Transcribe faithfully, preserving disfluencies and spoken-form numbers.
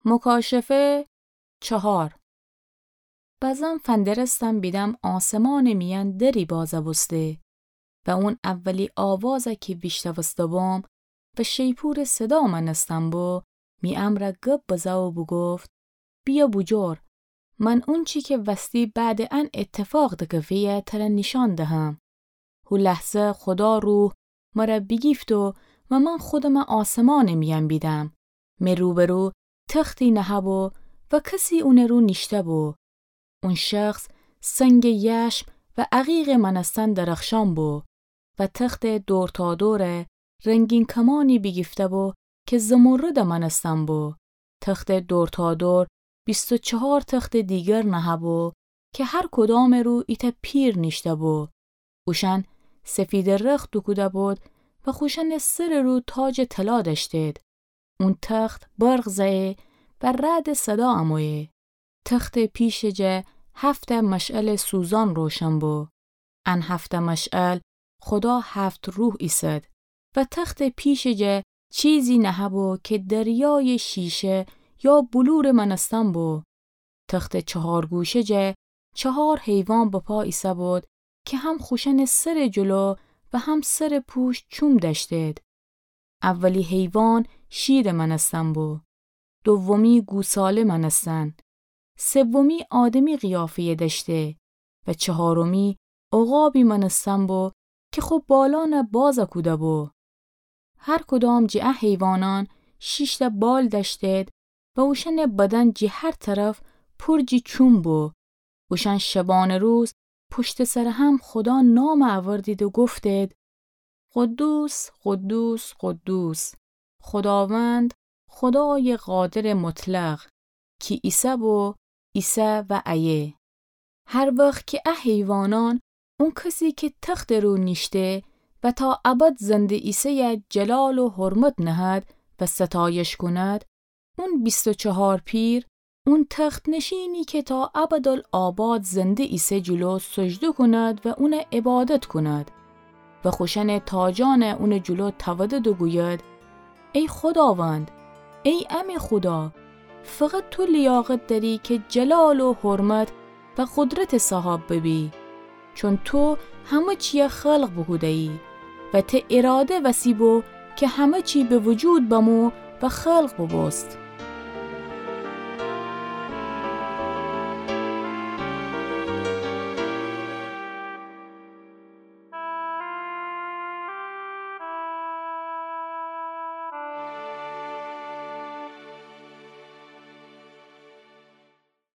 مکاشفه چهار. بزم فندرستم بیدم آسمانٚ میأن دری بازه بوسته و اون اولی آوازه کی ویشتوسته بوم و شیپورٚ صدا مأنستن بو، می امرأ گب بزه و بوگفت: بیا بوجور، من اونچی کی وستی بعدٚ ان ایتفاق دکفه‌یه تره نیشأن دهم. هو لحظه خودا روح مره بیگیفت و، و من خودمه آسمانٚ میأن بیدم. می روبرو تختی نهه‌بو و کسی اونٚ رو نیشته‌بو. اون شخص سنگٚ یشم و عقیقٚ مأنستن درخشان بو و تختٚ دورتادوره رنگین کمانی بیگیفته‌بو کی زمرد مأنستن بو. تختٚ دورتادور بیست و چهار تختٚ دیگر نهه‌بو کی هر کدامٚ رو ایتأ پیر نیشته‌بو. اوشأن سفیدٚ رخت دوکوده‌بود و خوشأنٚ سرٚ رو تاجٚ طلا دأشتید. اون تخت برق زه‌یه و رعدٚ صدا امویه. تختٚ پیشٚ جا هفت‌تأ مشعلٚ سوزان روشن بو. ان هفت‌تأ مشعل خودا هفت روح ایسد و تختٚ پیشٚ جا چیزی نهه‌بو کی دریایٚ شیشه یا بلورٚ مأنستن بو. تختٚ چهار گوشه جا چهار حیوان بپا ایسه‌بود کی هم خوشأنٚ سرٚ جلو و هم سرٚ پوشت چوم دأشتید. اولی حیوان شیرٚ مأنستن بو. دومی گوساله مأنستن. سومی آدمی قیافه‌یه دأشته و چهارمی عقابی مأنستن بو کی خو بالأنه بازه کوده‌بو. هر کدام جٚه ا حیوانأن شیش‌تأ بال دأشتید و اوشأنٚ بدن جٚه هر طرف پر جٚه چوم بو. اوشأن شبانٚ روز پشتٚ سرٚ هم خودا نام اوردید و گفتید: قدوس، قدوس، قدوس، خوداوند، خودایٚ قادرٚ مطلق، کی ایسه‌بو، ایسه و ایه. هر وخت کی ا حیوانأن اون کسی کی تختٚ رو نیشته و تا ابد زنده ایسه‌یه جلال و حرمت نهد و ستایش کند، اون بیست و چهار پیر، اون تخت‌نشینی کی تا ابدالآباد زنده ایسه جلو سجده کند و اونه عبادت کند و خوشأنٚ تاجأنه اونٚ جلو تودد و گوید: ای خوداوند، ای امه خودا، فقط تو لیاقت دأری کی جلال و حرمت و قدرتٚ صاحاب ببی، چون تو همه چیه خلق بوکوده‌یی و ته اراده وسی بو کی همه چی به وجود بمو و خلق بوبوست.